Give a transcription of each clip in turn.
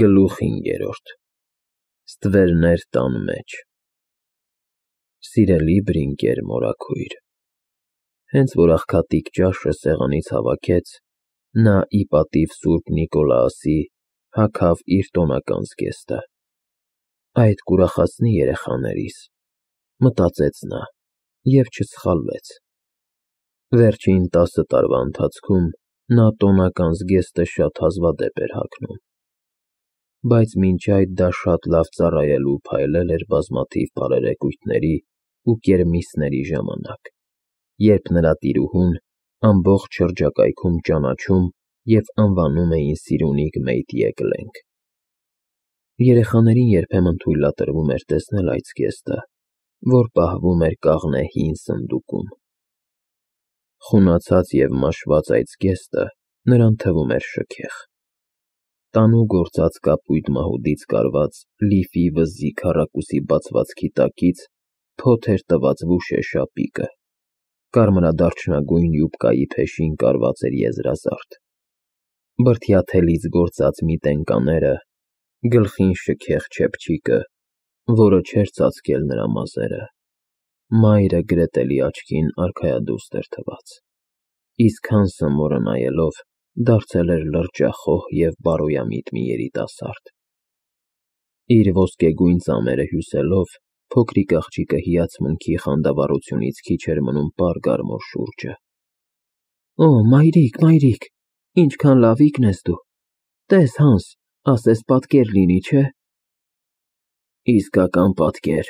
Գլուխ 5 Ստվերներ տան մեջ Սիրելի Բրինկեր մորաքույր, հենց որ աղքատիկ ճաշը սեղանից հավաքեց, նա ի պատիվ Սուրբ Նիկոլաոսի հագավ իր տոնական զգեստը։ Այդ կուրախացնի երեխաներիս, մտածեց նա և չսխալվեց։ Վերջին 10 տարվա ընթացքում նա տոնական զգեստը շատ հազվադեպ էր հագնում, բայց մինչ այդ դա շատ լավ ծառայելու փայլել էր բազմաթիվ բարերեկույթների ու կերմիսների ժամանակ, երբ նրա տիրուհուն ամբողջ շրջակայքում ճանաչում և անվանում էին Սիրունիկ Մեյտյեկլենք։ Երեխաներին երբեմն թույլատրվում էր տեսնել այդ զգեստը, որ պահվում էր կաղնե հին սնդուկում։ Խունացած և մաշված այդ զգեստը նրան թվում էր շքեղ։ Տանու գործած կապույտ մահուդից կարված լիֆի վզզի քառակուսի բացվածքի տակից փոթ էր տված վուշե շապիկը, կարմրադարչնագույն յուբկայի փեշին կարված էր եզրազարդ, բրդյա թելից գործած մի տենկաները, գլխին շքեղ չեփչիկը, որը չէր ծածկել նրա մազերը, մայրը գրետելի աչքին արքայադուստ էր թված, իսկ Հանսը մորը նայելով դարձել էր լրջախոհ և բարոյամիտ մի երիտասարդ։ Իր ոսկեգույն ծամերը հյուսելով, փոքրիկ աղջիկը հիացմունքի խանդավառությունից քիչ էր մնում պար գար մոր շուրջը։ Օ, մայրիկ, ինչքան լավիկն ես դու, տես Հանս, ասես պատկեր լինի, չէ։ Իսկական պատկեր,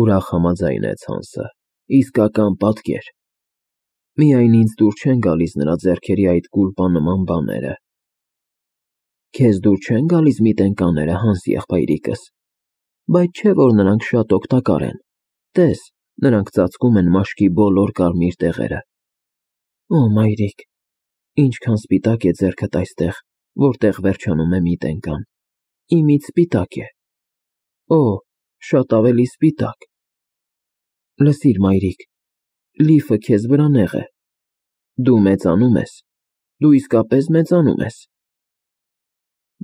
ուրախ համաձայնեց Հանսը, իսկական պատկեր։ Միայն ինձ դուր չեն գալիս նրա ձեռքերի այդ կուլպանման բաները։ Քեզ դուր չեն գալիս մի տենկաները, Հանս եղբայրիկս, բայց չէ որ նրանք շատ օգտակար են, տես, նրանք ծածկում են մաշկի բոլոր կարմիր տեղերը։ Օ, մայրիկ, ինչքան սպիտակ է ձեռքդ այստեղ, որտեղ վերջանում է մի տենկան, իմիջ սպիտակ է։ Օ, շատ ավելի սպիտակ։ Լսիր, մայրիկ, լիֆը քեզ վրա նեղ է։ Դու մեծանում ես, դու իսկապես մեծանում ես։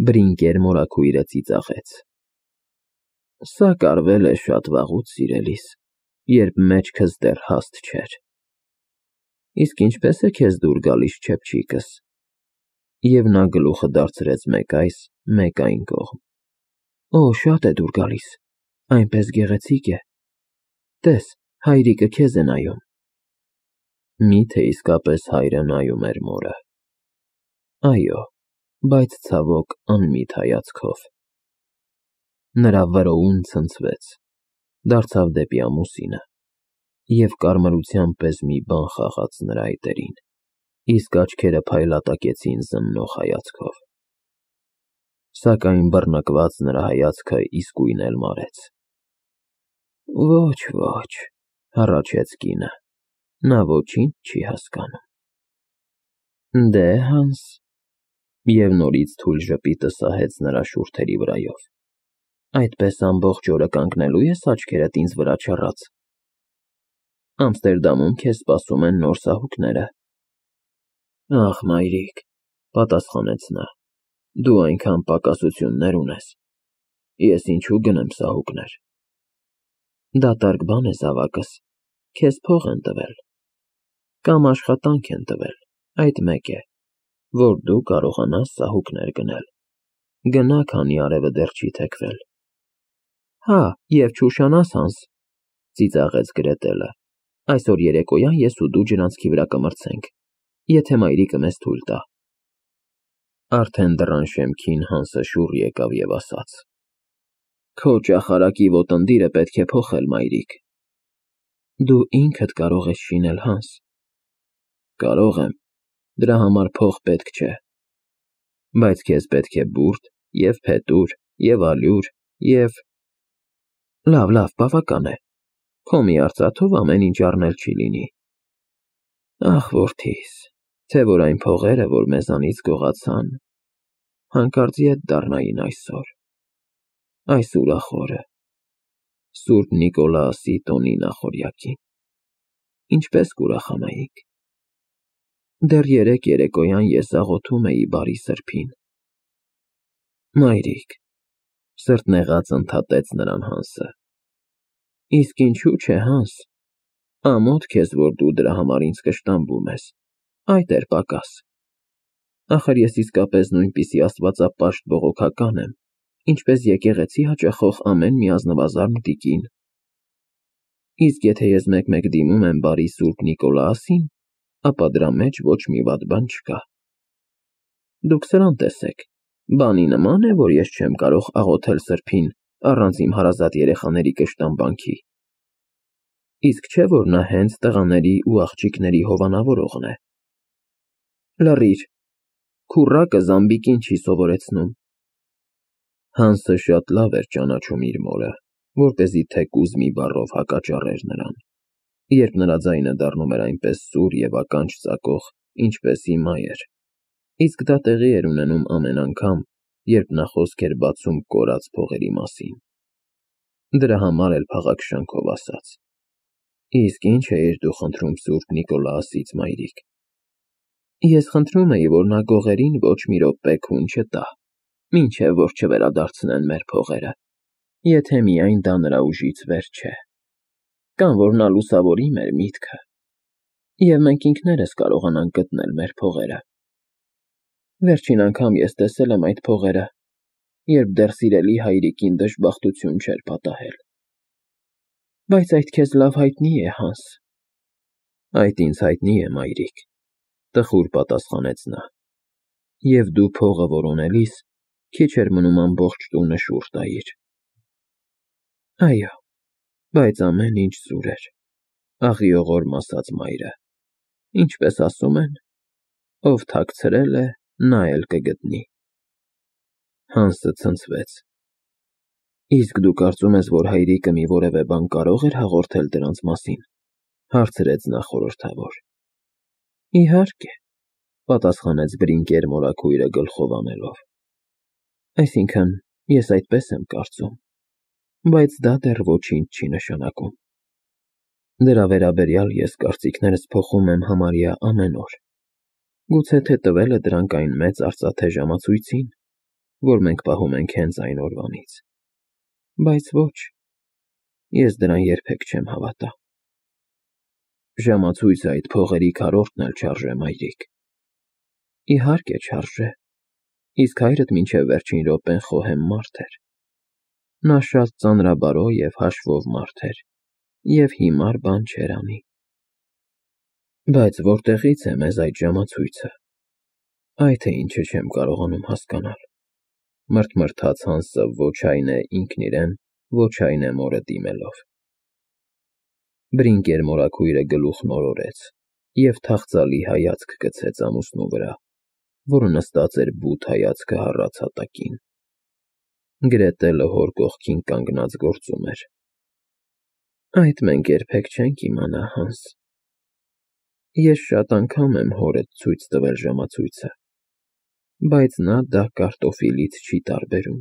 Բրինկեր մորաքույրը ծիծաղեց։ Սա կարվել է շատ վաղուց, սիրելիս, երբ մեջքս դեռ հաստ չէր։ Իսկ ինչպես է քեզ դուր գալիս չեփչիկս։ Եվ նա գլուխը դարձրեց մեկ այս, մեկ այն կողմ։ Օ, շատ է դուր գալիս, այնպես գեղեցիկ է։ Տես, հայրիկը քեզ է նայում։ Մի՞թե իսկապես հայրը նայում էր մորը։ Այո, բայց ցավոք անմիտ հայացքով։ Նրա վրոուն ցնցվեց, դարձավ դեպի ամուսինը, և կարմրության պես մի բան խաղաց նրա այտերին, իսկ աչքերը փայլատակեցին զննող հայացքով։ Սակայն բռնկված նրա հայացքը իսկույն էլ մարեց։ Ոչ, հառաչեց կինը, նա ոչինչ չի հասկանում։ Դե, Հանս, և նորից թույլ ժպիտը սահեց նրա շուրթերի վրայով, այդպես ամբողջ օրը կանգնելո՞ւ ես աչքերդ ինձ վրա չռած։ Ամստերդամում քեզ սպասում են նոր սահուկները։ Ախ, մայրիկ, պատասխանեց նա, դու այնքան պակասություններ ունես, ես ինչու գնեմ սահուկներ։ Դատարկ բան է զավակս, քեզ փող են տվել, կամ աշխատանք են տվել, այդ մեկ է, որ դու կարողանաս սահուկներ գնել, գնա, քանի արևը դեռ չի թեքվել։ Հա, և չուշանաս, Հանս, ծիծաղեց Գրետելը, այսօր երեկոյան ես ու դու ջրանցքի վրա կմրցենք, եթե մայրիկը մեզ թույլ տա։ Արդեն դռան շեմքին Հանսը շուռ եկավ և ասաց. Քո ճախարակի ոտնդիրը պետք է փոխել, մայրիկ։ Դու ինքդ կարող ես շինել, Հանս։ Կարող եմ, դրա համար փող պետք չէ, բայց քեզ պետք է բուրդ և փետուր և ալյուր և… Լավ, բավական է, քո մի արծաթով ամեն ինչ առնել չի լինի։ Ախ, որդիս, թե որ այն փողերը, որ մեզանից գողացան, հանկարծ ետ դառնային այսօր, այս ուրախ օրը, Սուրբ Նիկոլաոսի տոնի նախօրյակին, ինչպես կուրախանայինք։ Դեռ երեկ երեկոյան ես աղոթում էի բարի սրբին։ Մայրիկ, սրտնեղած ընդհատեց նրան Հանսը։ Իսկ ինչու՞ չէ, Հանս, ամոթ քեզ, որ դու դրա համար ինձ կշտամբում ես, այդ էր պակաս։ Ախր ես իսկապես նույնպիսի աստվածապաշտ բողոքական եմ, ինչպես եկեղեցի հաճախող ամեն մի ազնվազարդ տիկին։ Իսկ եթե ես մեկ-մեկ դիմում եմ բարի Սուրբ Նիկոլաոսին, ապա դրա մեջ ոչ մի վատ բան չկա։ Դուք սրան տեսեք, բանի նման է, որ ես չեմ կարող աղոթել սրբին առանց իմ հարազատ երեխաների կշտամբանքի։ Իսկ չէ՞ որ նա հենց տղաների ու աղջիկների հովանավորողն է։ Լռիր, քուռակը զամբիկին չի սովորեցնում։ Հանսը շատ լավ էր ճանաչում իր մորը, որպեսզի թեկուզ մի բառով հակաճառեր նրան, երբ նրա ձայնը դառնում էր այնպես սուր և ականջ ծակող, ինչպես հիմա էր, իսկ դա տեղի էր ունենում ամեն անգամ, երբ նա խոսք էր բացում կորած փողերի մասին։ Դրա համար էլ փաղաքշանքով ասաց. Իսկ ինչ էիր դու խնդրում Սուրբ Նիկոլաոսից, մայրիկ։ Ես խնդրում էի, որ նա գողերին ոչ մի րոպե քուն չտա, մինչև որ չվերադարձնեն մեր փողերը, եթե միայն դա նրա ուժից վեր չէ, կամ որ նա լուսավորի մեր միտքը, և մենք ինքներս կարողանանք գտնել մեր փողերը։ Վերջին անգամ ես տեսել եմ այդ փողերը, երբ դեռ սիրելի հայրիկին դժբախտություն չէր պատահել։ Բայց այդ քեզ լավ հայտնի է, Հանս։ Այդ ինձ հայտնի է, մայրիկ, տխուր պատասխանեց նա, և դու փողը որոնելիս քիչ էր մնում ամբողջ տունը շուռ տայիր։ Այո, բայց ամեն ինչ սուր էր, աղիողորմ ասաց մայրը, ինչպես ասում են, ով թաքցրել է, նա էլ կգտնի։ Հանսը ցնցվեց։ Իսկ դու կարծում ես, որ հայրիկը մի որևէ բան կարող էր հաղորդել դրանց մասին, հարցրեց նա խորհրդավոր։ Իհարկե, պատասխանեց Բրինկեր մորաքույրը գլխով անելով։ Այսինքն, ես այդպես եմ կարծում, բայց դա դեռ ոչինչ չի նշանակում։ Դրա վերաբերյալ ես կարծիքներս փոխում եմ համարյա ամեն օր։ Գուցե թե տվել է դրանք այն մեծ արծաթե ժամացույցին, որ մենք պահում ենք հենց այն օրվանից։ Բայց ոչ, ես դրան երբեք չեմ հավատա։ Ժամացույցը այդ փողերի քառորդն էլ չարժե, մայրիկ։ Իհարկե չարժե, իսկ հայրդ մինչև վերջին րոպեն խոհեմ մարդ էր։ Նա շատ ծանրաբարո և հաշվով մարդ էր, և հիմար բան չէր անի։ Բայց որտեղի՞ց է մեզ այդ ժամացույցը։ Այդ է ինչը չեմ կարողանում հասկանալ, մրթմրթաց Հանսը ոչ այն է ինքն իրեն, ոչ այն է մորը դիմելով։ Բրինկեր մորաքույրը գլուխն օրորեց և թախծալի հայացք գցեց ամուսնու վրա, որը նստած էր բութ հայացքը հառած հատակին։ Գրետը լհոր կողքին կանգնած գործում էր։ Այդ մենք երբեք չենք իմանա, Հանս։ Ես շատ անգամ եմ հորդ ցույց տվել ժամացույցը, բայց նա դա կարտոֆիլից չի տարբերում։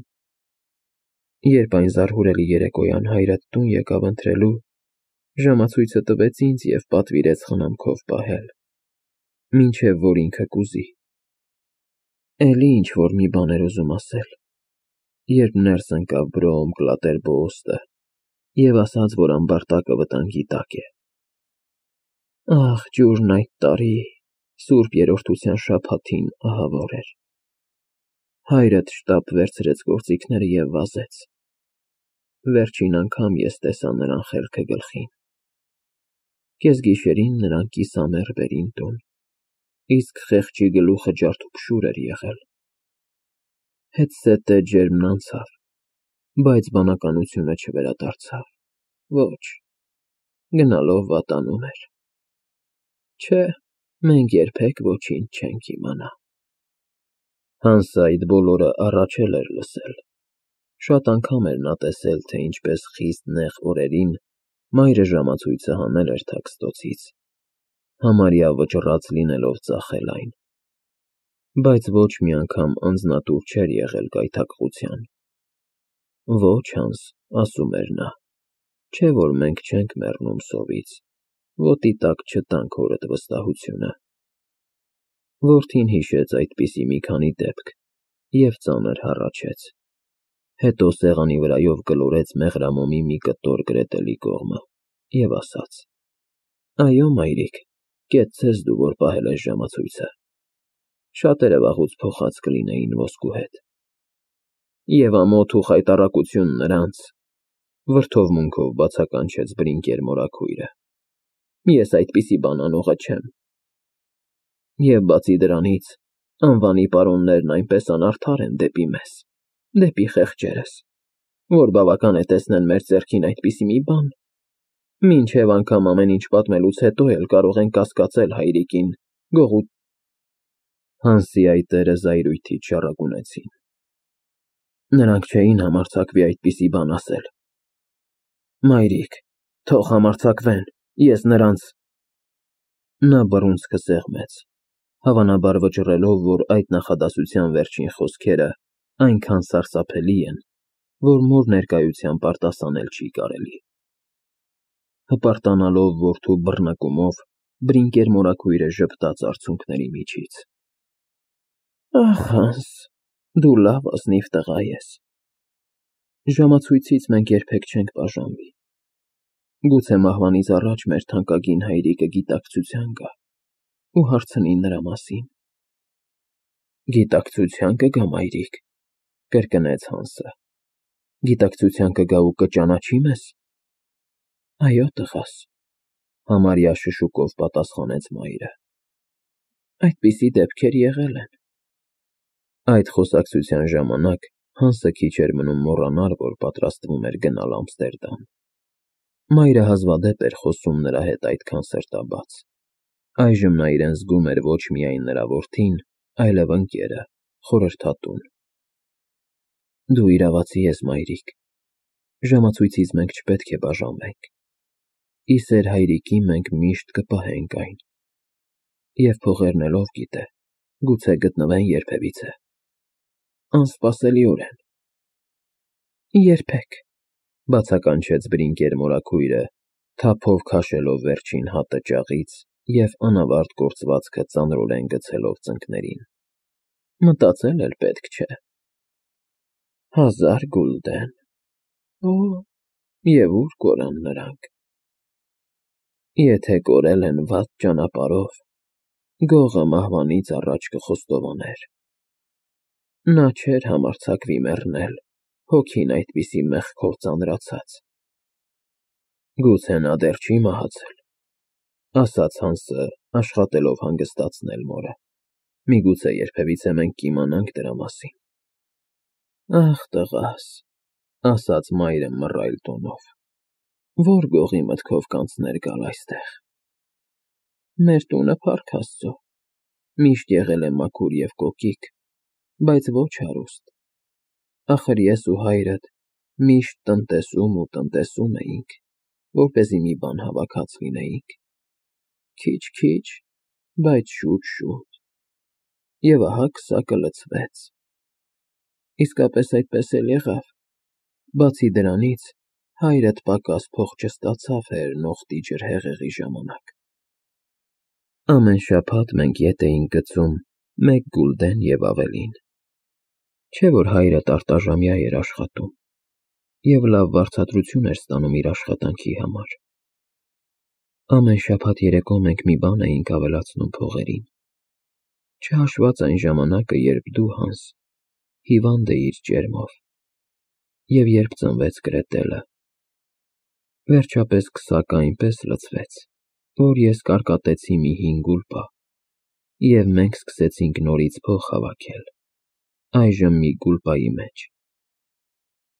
Երբ այն զարհուրելի երեկոյան հայրդ տուն եկավ ընթրելու, ժամացույցը տվեց ինձ և պատվիրեց խնամքով պահել, մինչև որ ինքը կուզի։ Էլի ինչ-որ մի բան էր ուզում ասել, երբ ներս ընկավ Բրոում Կլատերբոուստը և ասաց, որ ամբարտակը վտանգի տակ է։ Ահ, ջուրն այդ տարի, Սուրբ Երրորդության շաբաթին ահավոր էր։ Հայրդ շտապ վերցրեց գործիքները և վազեց։ Վերջին անգամ ես տեսա նրան խելքը գլխին։ Կեսգիշերին նրան կիսամեռ բերին տուն, իսկ խեղճի գլուխը ջարդուփշուր էր եղել։ Հետզհետե ջերմն անցավ, բայց բանականությունը չվերադարձավ։ Ոչ, գնալով վատանում էր։ Չէ, մենք երբեք ոչինչ չենք իմանա։ Հանսը այդ բոլորը առաջ էլ էր լսել։ Շատ անգամ էր նա տեսել, թե ինչպես խիստ նեղ օրերին մայրը ժամացույցը հանել էր թաքստոցից, համարյա վճռած լինելով ծախել այն։ Բայց ոչ մի անգամ անձնատուր չէր եղել գայթակղության։ Ոչ, Հանս, ասում էր նա, չէ որ մենք չենք մեռնում սովից, ոտի տակ չտանք հորդ վստահությունը։ Որդին հիշեց այդպիսի մի քանի դեպք, և ծանր հառաչեց, հետո սեղանի վրայով գլորեց մեղրամոմի մի կտոր գրետելի կողմը և ասաց. Այո, մայրիկ, կեցցես դու, որ պահել ես ժամացույցը, շատերը վաղուց փոխած կլինեին ոսկու հետ։ Եվ ամոթ ու խայտառակություն նրանց, վրդովմունքով բացականչեց Բրինկեր մորաքույրը, ես այդպիսի բան անողը չեմ։ Եվ բացի դրանից, անվանի պարոններն այնպես անարդար են դեպի մեզ, դեպի խեղճերս, որ բավական է տեսնեն մեր ձեռքին այդպիսի մի բան, մինչև անգամ ամեն ինչ պատմելուց հետո էլ կարող են կասկածել հայրիկին, գողու… Հանսի այտերը զայրույթից շառագունեցին։ Նրանք չէին համարձակվի այդպիսի բան ասել։ Մայրիկ, թող համարձակվեն, ես նրանց… Նա բռունցքը սեղմեց, հավանաբար վճռելով, որ այդ նախադասության վերջին խոսքերը այնքան սարսափելի են, որ մոր ներկայությամբ արտասանել չի կարելի։ Հպարտանալով որդու բռնկումով, Բրինկեր մորաքույրը ժպտաց արցունքների միջից. Ախ, Հանս, դու լավ ազնիվ տղա ես։ Ժամացույցից մենք երբեք չենք բաժանվի։ Գուցե մահվանից առաջ մեր թանկագին հայրիկը գիտակցության գա ու հարցնի նրա մասին։ Գիտակցության կգա, մայրիկ, կրկնեց Հանսը։ Գիտակցության կգա ու կճանաչի մեզ։ Այո, տղաս, համարյա շշուկով պատասխանեց մայրը։ Այդպիսի դեպքեր եղել են։ Այդ խոսակցության ժամանակ Հանսը քիչ էր մնում մոռանալ, որ պատրաստվում էր գնալ Ամստերդամ։ Մայրը հազվադեպ էր խոսում նրա հետ այդքան սրտաբաց։ Այժմ նա իրեն զգում էր ոչ միայն նրա որդին, այլև ընկերը, խորհրդատուն։ Դու իրավացի ես, մայրիկ։ Ժամացույցից մենք չպետք է բաժանվենք։ Ի սեր հայրիկի մենք միշտ կպահենք այն։ Եվ փողերնելով գիտե, գուցե գտնվեն երբևիցե։ Անսպասելիորեն։ Երբեք, բացականչեց Բրինկեր մորաքույրը, թափով քաշելով վերջին հատը ճաղից և անավարտ գործվածքը ծանրորեն գցելով ծնկներին։ Մտածել էլ պետք չէ։ 1000 գուլդեն։ Օ, և ուր կորան նրանք։ Եթե կորել են վատ ճանապարհով, գողը մահվանից առաջ կխոստովաներ։ Նա չէր համարձակվի մեռնել, հոգին այդպիսի մեղքով ծանրացած։ Գուցե նա դեռ չի մահացել, ասաց Հանսը, աշխատելով հանգստացնել մորը։ Միգուցե երբևիցե մենք կիմանանք դրա մասին։ Ախ, տղաս, ասաց մայրը մռայլ տոնով, որ գողի մտքով կանցներ գալ այստեղ։ Մեր տունը փառք Աստծո, միշտ եղել է մաքուր և կոկիկ, բայց ոչ հարուստ։ Ախր ես ու հայրդ միշտ տնտեսում էինք, որպեսզի մի բան հավաքած լինեինք։ Քիչ, բայց շուտ։ Եվ ահա քսակը լցվեց։ Իսկապես այդպես էլ եղավ։ Բացի դրանից, հայրդ պակաս փող չստացավ հերնողտի ջրհեղեղի ժամանակ։ Ամեն շաբաթ մենք ետ էինք գցում 1 գուլդեն և ավելին։ Չէ՞ որ հայրդ արտաժամյա էր աշխատում և լավ վարձատրություն էր ստանում իր աշխատանքի համար։ Ամեն շաբաթ երեկո մենք մի բան էինք ավելացնում փողերին, չհաշված այն ժամանակը, երբ դու, Հանս, հիվանդ էիր ճերմով, և երբ ծնվեց Գրետելը։ Վերջապես քսակը այնպես լցվեց, որ ես կարկատեցի մի 5 գուլպա, և մենք սկսեցինք նորից փող հավաքել, այժմ մի գուլպայի մեջ։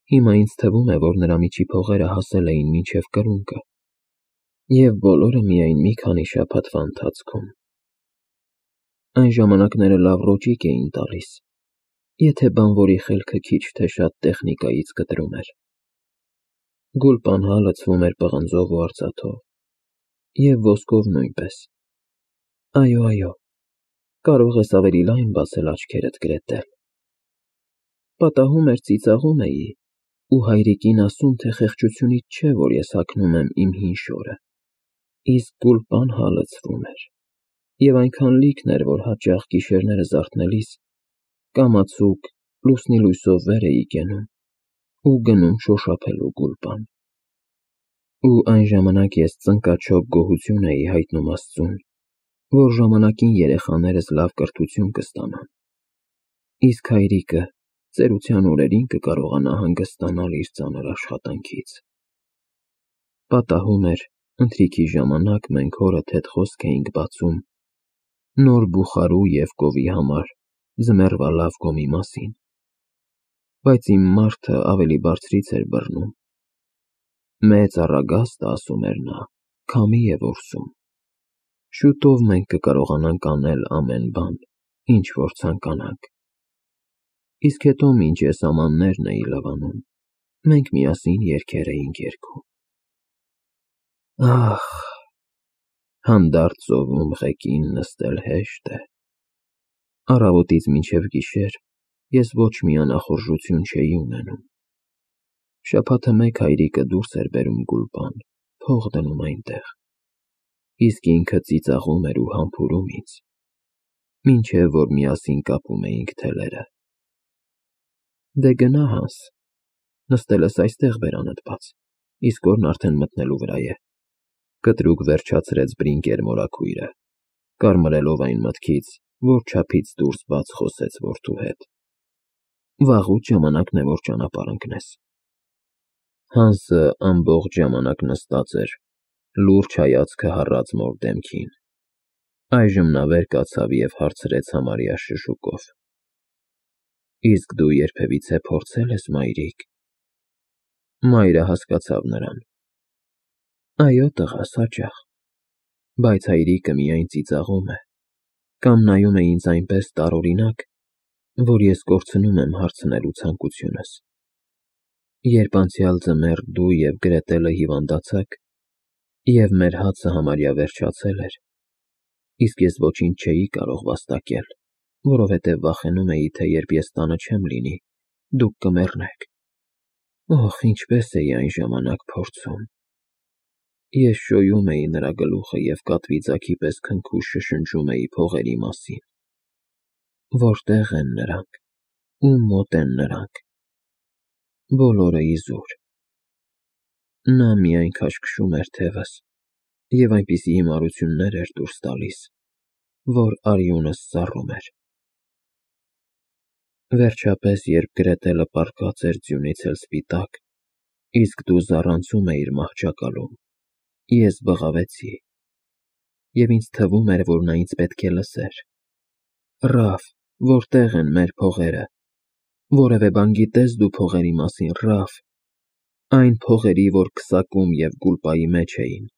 Հիմա ինձ թվում է, որ նրա միջի փողերը հասել էին մինչև կրունկը, և բոլորը միայն մի քանի շաբաթվա ընթացքում։ Այն ժամանակները լավ ռոճիկ էին տալիս, եթե բանվորի խելքը քիչ թե շատ տեխնիկայից կտրում էր։ Գուլպան հա լցվում էր պղնձով ու արծաթով, և ոսկով նույնպես։ Այո, կարող ես ավելի լայն բացել աչքերդ, Գրետել։ Պատահում էր ծիծաղում էի ու հայրիկին ասում, թե խեղճությունից չէ, որ ես հագնում եմ իմ հին շորը, իսկ գուլպան հա լցվում էր, և այնքան լիքն էր, որ հաճախ գիշերները զարթնելիս կամացուկ լուսնի լույսով վեր էի կենում ու գնում շոշափելու գուլպան։ Ու այն ժամանակ ես ծնկաչոք գոհություն էի հայտնում Աստծուն, որ ժամանակին երեխաներս լավ կրթություն կստանան, իսկ հայրիկը ծերության օրերին կկարողանա հանգստանալ իր ծանր աշխատանքից։ Պատահում էր, ընթրիքի ժամանակ մենք հորդ հետ խոսք էինք բացում նոր բուխարու և կովի համար ձմեռվա լավ գոմի մասին, բայց իմ մարդը ավելի բարձրից էր բռնում։ Մեծ առագաստը, ասում էր նա, քամի է որսում։ Շուտով մենք կկարողանանք անել ամեն բան, ինչ որ ցանկանանք։ Իսկ հետո մինչ ես ամաններն էի լվանում, մենք միասին երգեր էինք երգում։ Ահ, հանդարտ ծովում ղեկին նստել հեշտ է։ Առավոտից մինչև գիշեր ես ոչ մի անախորժություն չէի ունենում։ Շաբաթը մեկ հայրիկը դուրս էր բերում գուլպան, փող դնում այնտեղ, իսկ ինքը ծիծաղում էր ու համբուրում ինձ, մինչև որ միասին կապում էինք թելերը։ Դե գնա Հանս, նստելս այստեղ բերանդ բաց, իսկ օրն արդեն մտնելու վրա է, կտրուկ վերջացրեց Բրինկեր մորաքույրը, կարմրելով այն մտքից, որ չափից դուրս բաց խոսեց որդու հետ։ Վաղուց ժամանակն է, որ ճանապարհ ընկնես։ Հանսը ամբողջ ժամանակ նստած էր, լուրջ հայացքը հառած մոր դեմքին։ Այժմ նա վեր կացավ և հարցրեց համարյա շշուկով. Իսկ դու երբևիցե փորձել ես, մայրիկ։ Մայրը հասկացավ նրան. Այո, տղաս, հաճախ, բայց հայրիկը միայն ծիծաղում է, կամ նայում է ինձ այնպես տարօրինակ, որ ես կորցնում եմ հարցնելու ցանկությունս։ Երբ անցյալ ձմեռ դու և Գրետելը հիվանդացաք, և մեր հացը համարյա վերջացել էր, իսկ ես ոչինչ չէի կարող վաստակել, որովհետև վախենում էի, թե երբ ես տանը չեմ լինի, դուք կմեռնեք։ Օհ, ինչպես էի այն ժամանակ փորձում։ Ես շոյում էի նրա գլուխը և կատվի ձագի պես քնքուշ շշնջում էի փողերի մասին։ Որտե՞ղ են նրանք, ում մոտ են նրանք։ Բոլորը իզուր։ Նա միայն քաշքշում էր թևս և այնպիսի հիմարություններ էր դուրս տալիս, որ արյունս սառում էր։ Վերջապես, երբ Գրետելը պառկած էր ձյունից էլ սպիտակ, իսկ դու զառանցում էիր մահճակալում, ես բղավեցի, և ինձ թվում էր, որ նա ինձ պետք է լսեր։ Ռաֆ, որտե՞ղ են մեր փողերը։ Որևէ բան գիտե՞ս դու փողերի մասին, Ռաֆ։ Այն փողերի, որ քսակում և գուլպայի մեջ էին,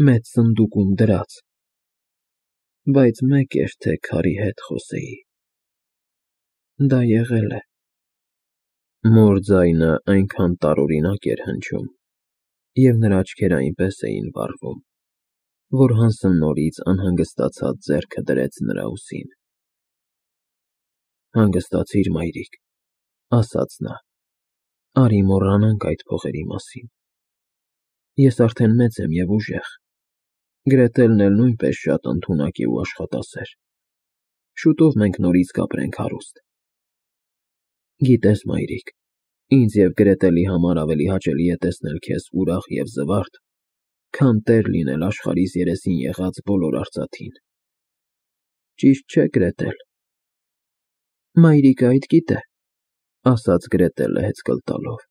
մեծ սնդուկում դրած։ Բայց մեկ էր, թե քարի հետ խոսեի։ Դա եղել է։ Մոր ձայնը այնքան տարօրինակ էր հնչում, և նրա աչքերը այնպես էին վառվում, որ Հանսը նորից անհանգստացած ձեռքը դրեց նրա ուսին։ Հանգստացիր, մայրիկ, ասաց նա, արի մոռանանք այդ փողերի մասին։ Ես արդեն մեծ եմ և ուժեղ, Գրետելն էլ նույնպես շատ ընդունակ է ու աշխատասեր։ Շուտով մենք նորից կապրենք հարուստ։ Գիտես, մայրիկ, ինձ և Գրետելի համար ավելի հաճելի է տեսնել քեզ ուրախ և զվարթ, քան տեր լինել աշխարհիս երեսին եղած բոլոր արծաթին։ Ճիշտ չէ՞, Գրետել։ Մայրիկը այդ գիտե, ասաց Գրետելը հեծկլ տալով։